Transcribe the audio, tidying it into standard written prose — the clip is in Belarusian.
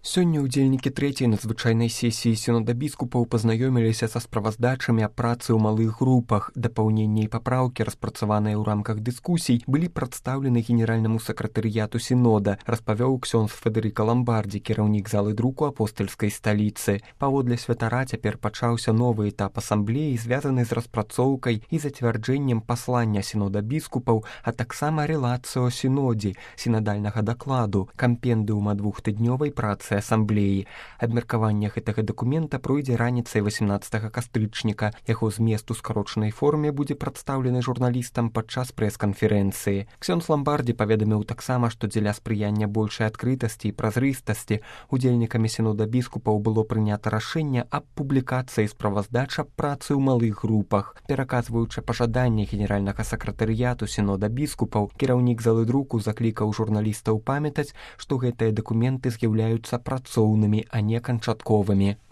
Сёння ўдзельнікі трэцяй надзвычайнай сесіі сінода біскупаў пазнаёміліся са справаздачамі аб працы ў малых групах. Дапаўненні і папраўкі, распрацаваныя ў рамках дыскусій, былі прадстаўлены генеральнаму сакратарыяту сінода, распавёў ксёндз Федэрыка Ламбардзі, кіраўнік залы друку апостальскай сталіцы. Паводле святара цяпер пачаўся новы этап асамблеі, звязаны з распрацоўкай і зацвярджэннем паслання сінода біскупаў, а таксама рэлацыо сінодзе, сінадальнага дакладу, кампендыума двухтыднёвай працы асамблеі. Абмеркаванне гэтага дакумента пройдзе раніцай 18 кастрычніка. Яго змест у скарочанай форме будзе прадстаўлены журналістам падчас прэс-канферэнцыі. Ксёндз Ламбардзі паведаміў таксама, што дзеля спрыяння большай адкрытасці і празрыстасці удзельнікамі сінода біскупаў было прынята рашэнне аб публікацыі справаздач аб працы ў малых групах. Пераказваючы пажаданне генеральнага сакратарыяту сінода біскупаў, кіраўнік залы друку заклікаў журналістаў памятаць, што гэтыя дакументы з'яўляюцца працоўнымі, а не канчатковымі.